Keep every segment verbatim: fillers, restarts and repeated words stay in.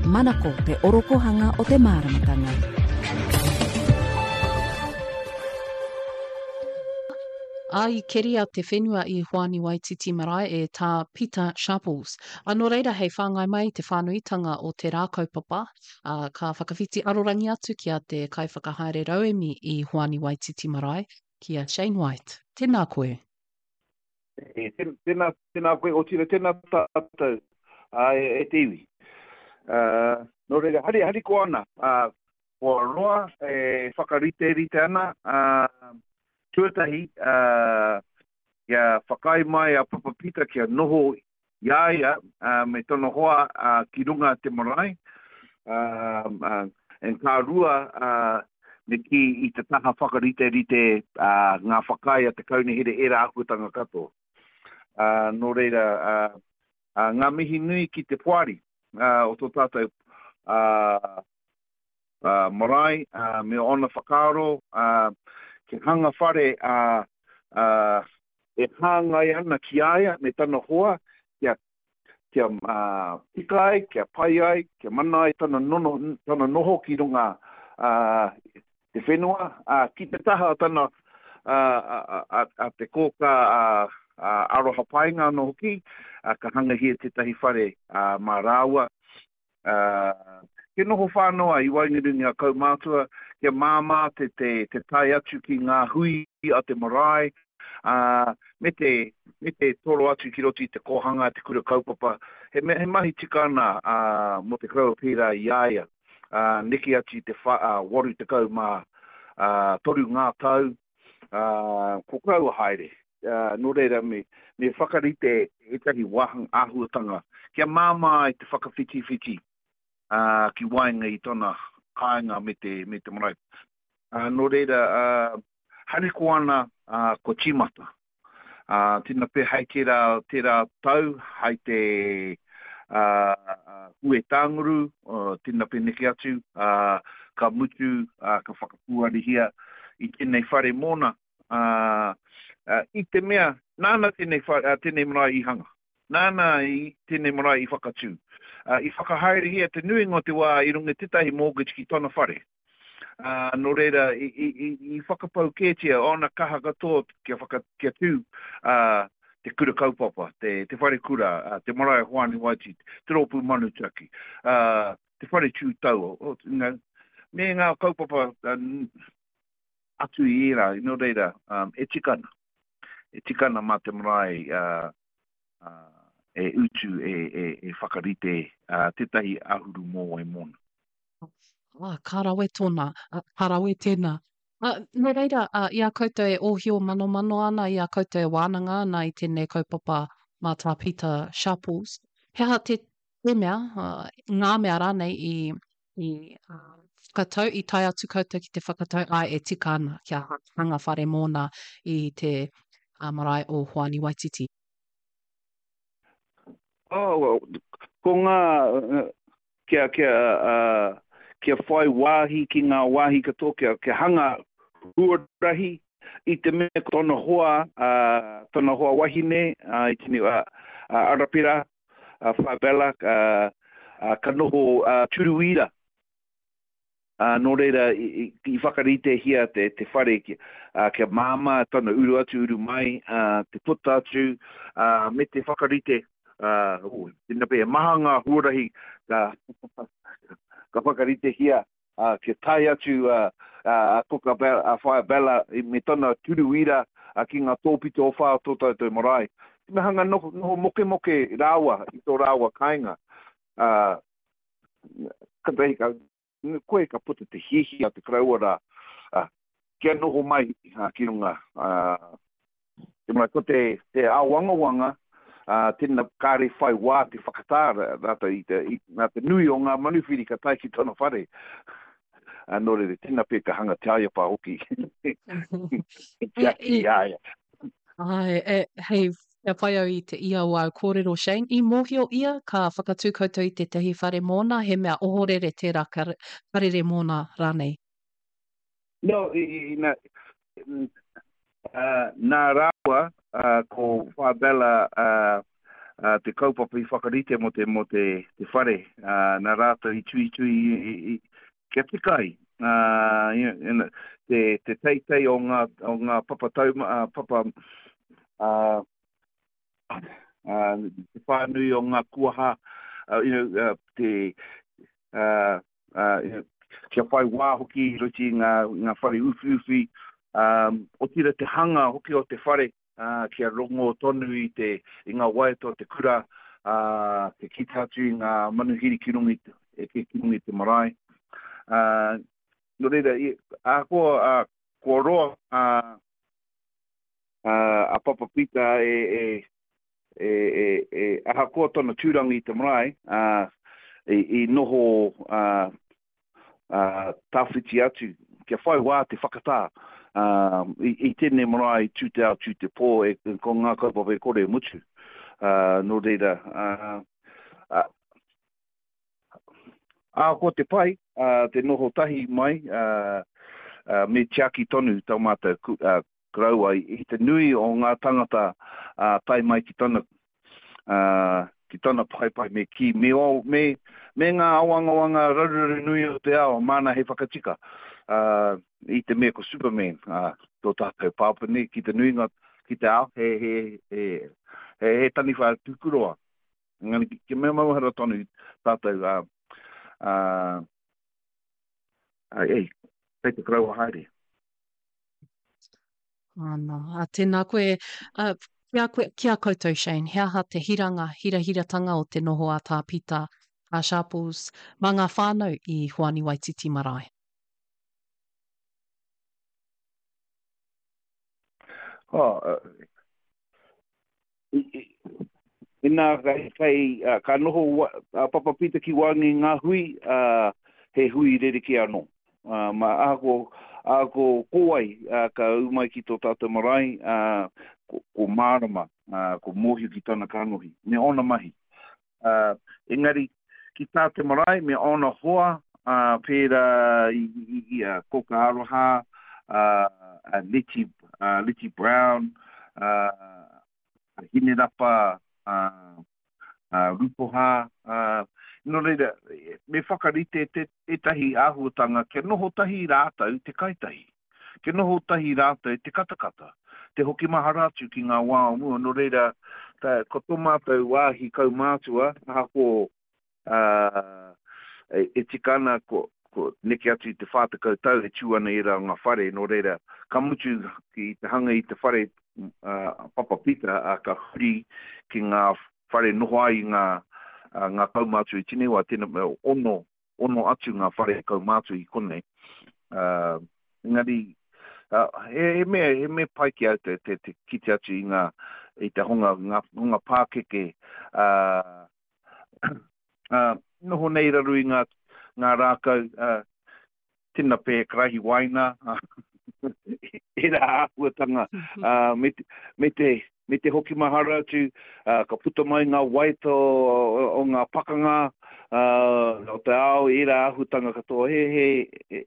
Manako te orokohanga o te māramatanga. Ā, i keria te whenua i Hoani Waititi Marae e Tā Pita Sharples. Ā, nō reira hei whāngai mai i te whānuitanga o te rā kaupapa, ā, ka whakawhiti arorangi atu ki a te kaiwhakahaere rauemi i Hoani Waititi Marae, ki a Shane White. Tēnā koe. E, tēnā, tēnā koe, otirā tēnā tātou, ā, e, e te iwi. Ā, nō reira, hari, harikoa ana, ā, kua roa e whakariterite ana, ā, tuatahi, ā, kia whakaae mai a Papa Pita kia noho i a ia, ā, me tana hoa, ā, ki runga te marae, ā, ā, and ka rua, ā, me kī i te taha whakariterite, ā, ngā whakaae a te kaunihera, ērā āhuatanga katoa. Ā, nō reira, ā, ā, ngā mihi nui ki te poari, ā, o tō tātou, ā, ā, marae, ā, me ōna whakaaro, ā, kia hanga whare, ā, ā, e hāngai ana ki a ia me tana hoa, kia, kia, ā, tika ai, kia pai ai, kia mana ai tana nono, tana noho ki runga, ā, te whenua, ā, ki te taha o tana, ā, a, a, a te kōkā, ā, ā, Aroha Paenga anō hoki, ā, ka hangahia tētahi whare, ā, mā rāua, ā, kia noho whānau ai i waenganui i ngā kaumātua, kia māmā te, te, te tae atu ki ngā hui a te marae, ā, me te, me te toro atu ki roto i te kōhanga, te kura kaupapa. He, mea, he mahi tika ana, ā, mō te koroua pērā i a ia, ā, neke atu i te wha, ā, waru tekau mā, ā, toru ngā tau, ā, ko koroua haere. Ā, nō reira me, me whakarite ētahi wāhanga āhuatanga kia māmā ai te whakawhitiwhiti, ā, ki waenga i tana kāinga me te, me te marae. Ā, nō reira, ā, harikoa ana, ā, kua tīmata. Ā, tēnā pea hei tērā, tērā tau, hei te, ā, Huetānguru, tēnā pea neke atu, ā, ka mutu, ā, ka whakapūarihia i tēnei whare mōna, ā, ā, i te mea, nāna tēnei whare, ā, tēnei marae i hanga. Nāna i tēnei marae i whakatū. Ā, i whakahaerehia te nuinga o te wā i runga i tētahi mortgage ki tana whare. Ā, nō reira, i, i, i, i whakapau kētia ōna kaha katoa kia whaka, kia tū, ā, te kura kaupapa, te, te whare kura, ā, te marae o Hoani Waititi, te rōpū Manutaki, ā, te whare tū taua, o, you know, me ngā kaupapa, ā, atu i ērā, nō reira, um, e tika ana. E tika ana mā te marae, ā, ā, e utu, e, e, e whakarite, ā, tētahi āhuru mōwai mōna. Ā, ka rawe tōna, ā, ka rawe tēnā. Ā, nō reira, ā, i a koutou e ōhio manomano ana, i a koutou e wānanga ana i tēnei kaupapa mā Tā Pita Sharples, he aha te, te mea, ā, ngā mea rānei i, i ā, whakatau, i tae atu koutou ki te whakatau, āe, e tika ana kia hanga whare mōna i te ā, marae o Hoani Waititi? Oh, ko ngā, kia, kia, uh, kia whai wāhi ki ngā wāhi katoa, kia, kia hanga huarahi i te mea ko tona hoa, uh, tona hoa wahine, uh, i tini, uh, uh, Arapera, uh, Whaabella, uh, uh, ka noho uh, Turuira. Ā, nō reira, i, i, i whakaritehia te, te whare kia, ā, kia māmā tana uru atu, uru mai, ā, te puta atu, ā, me te whakarite, ā, ū, tēnā pea, he maha ngā huarahi ka, ka whakaritehia, ā, kia tae atu a, a, a Koka Bella, a Whaea Bella i, me tana turuira, ā, ki ngā tōpito o whā o tō tātou marae. Me hanga noho, noho mokemoke rāua i tō rāua kāinga, ā, katahi ka, koe ka puta te hiahia a te koroua rā, ā, kia noho mai ki runga, ā, te marae. Ko te, te āwangawanga, ā, tēnā kāre whai wā te whakatā rātou i te, i, nā te nui o ngā manuwhiri ka tae ki tana whare. Ā, nō reira, tēnā pea ka hanga te aiapa hoki. Tiaki i a ia. Āe, e, hei, kia whai au i te ia o āu kōrero, Shane, i mōhio ia ka whakatū koutou i tētahi whare mōna, he mea ohorere tērā karere mōna rānei? No, i, i, nā, uh, nā rāua uh, ko Whabella uh, uh, te kaupapa i whakarite mo te, mo te, te whare, uh, nā rātou i tuitui i, i, i, kia tika ai, uh, you know, te, te teitei o ngā, o ngā papa tauma, uh, papa, uh, uh, te whānui o ngā kuaha, uh, you know, uh, te, uh, uh, you know, kia whai wā hoki i roto i ngā, ngā whare uwhiuwhi, um, otira te hanga hoki o te whare, uh, kia rongo tonu i, te, i ngā waiata o te kura, uh, te kite atu i ngā manuhiri ki runga i te, e ki runga i te marae. Uh, nō reira, i, ahakoa, uh, kua roa uh, uh, a Papa Pita e, e, e, e, e ahakoa tōna tūranga i te marae, uh, i, i noho uh, uh, tawhiti atu, kia whai wā te whakatā uh, i, i tēnei marae tū te ao, tū te pō, e, ko ngā kaupapa e kore e mutu. Uh, nō reira, uh, uh, ahakoa te pai, uh, te noho tahi mai, uh, uh, me tiaki tonu tō mātou ku, uh, koroua i, i te nui o ngā tangata uh, tae mai ki tana, uh, ki tana paepae me ki, me, o, me, me ngā awangawanga raruraru nui o te ao, māna hei whakatika. Uh, i te mea ko Superman, uh, tō tātou pāpā nei, ki te nuinga ki te ao, he, he, he, he, he taniwha tukuroa. Engari, ki, ki mea mauhara tonu tātou, uh, uh, uh, ei, kei te koroua haere. Ana, a tēnā koe, uh, ki a koe, ki a koutou, Shane, he aha te hiranga, hirahiratanga o te noho a Tā Pita, a Sharples, mā ngā whānau i Hoani Waititi Marae? Oh, uh, i, i, inā kai, kai, uh, ka noho wa, uh, Papa Pita ki waenga i ngā hui, uh, he hui rerekē anō. Uh, ma ahakoa, ahakoa ko wai, uh, ka ū mai ki tō tātou marae, uh, ko, ko mārama, uh, ko mōhio ki tana kanohi, me ōna mahi. Uh, engari, ki tā te marae, me ōna hoa, uh, pērā i, i, i a Koka Aroha, uh, a Letty, uh, Letty Brown, uh, a Hinerapa, uh, uh, Rupoha, uh, nō reira, me whakarite te, tētahi āhuatanga kia noho tahi rātou te kaitahi, kia noho tahi rātou te katakata, te hoki mahara atu ki ngā wā o mua. Nō reira, ta, ko tō mātou wāhi kaumātua, ahakoa uh, e, e tika ana ko, ko neke atu i te whā tekau tau e tū ana i rā ngā whare, nō reira, ka mutu ki te hanga i te whare uh, Papa Pita, uh, ka huri ki ngā whare noho ai ngā, uh, ngā kaumātua i tēnei wā, tēnā, ono, ono atu ngā whare kaumātua i konei. Uh, engari, uh, he, he, mea, he mea pai ki au te, te, te kite atu i ngā, i te hunga, ngā hunga pākeke, uh, uh, noho nei raru i ngā, ngā rākau, uh, tēnā pē karahi waina, e rā āhuatanga, uh, me, te, me, te, me te hoki mahara atu, uh, ka puta mai ngā waita o, o, o ngā pakanga, uh, o te ao, e rā āhuatanga katoa, he, he, he,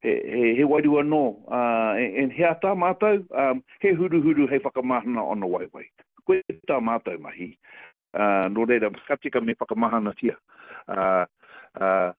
he, he, he wairua nō, uh, e, e, he ata mātou, um, he huruhuru hei whakamahana ona waewae. Koe tā mātou mahi, uh, nō reira, ka tika me whakamahanatia. Uh, uh,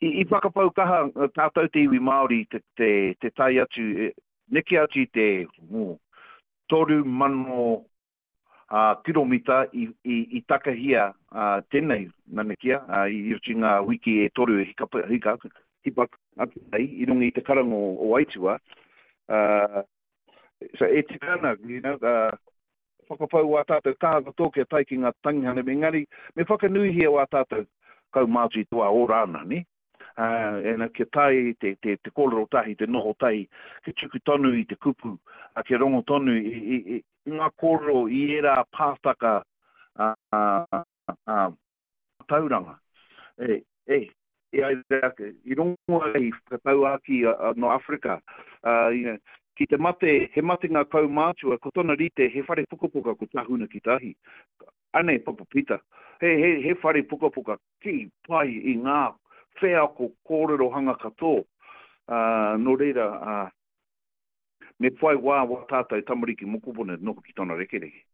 i, i whakapau kaha tātou te iwi Māori te, te, te tae atu, neke atu i te oh, toru mano uh, kiromita i, i, i takahia uh, tēnei nanakia, uh, i roto i ngā wiki e toru e hika, hika, hipa atu nei, i runga i te karanga o, o Aitua. Uh, so e tika ana, you know, uh, whakapau wā tātou kaha katoa kia tae ki ngā tangihana, engari me whakanuihia wā tātou kaumātua i te wā ora ana, ne? Uh, ena kia tae te, te, te kōrero tahi, te noho tahi, kia tuku tonu i te kupu, uh, kia rongo tonu i, i, i, i ngā kōrero i ērā pātaka uh, uh, uh, tauranga. E, e, e ai rā, i rongo ai whakatauākī uh, no Afrika, uh, you know, ki te mate, he mate ngā kaumātua, ko tōna rite, he whare pukapuka ko Tahuna ki tahi. Anei, Papa Pita, he, he, he whare pukapuka ki pai i ngā wheako kōrero hanga katoa. Uh, nō reira, uh, me whai wā wā tātou tamariki mokopuna noho ki tōna rekereke.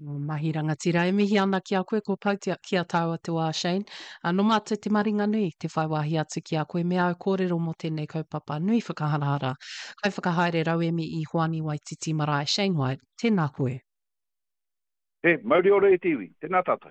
Mahi rangatira, e mihi ana ki a koe, ko pau ki a tāua te wā, Shane. Uh, no mātou te maringanui, te whai wāhi atu ki a koe me āu kōrero mō tēnei kaupapa nui whakaharahara. Kaiwhakahaere rauemi i Hoani Waititi Marae, Shane White, tēnā koe. He, mauri ora e te iwi, tēnā tātou.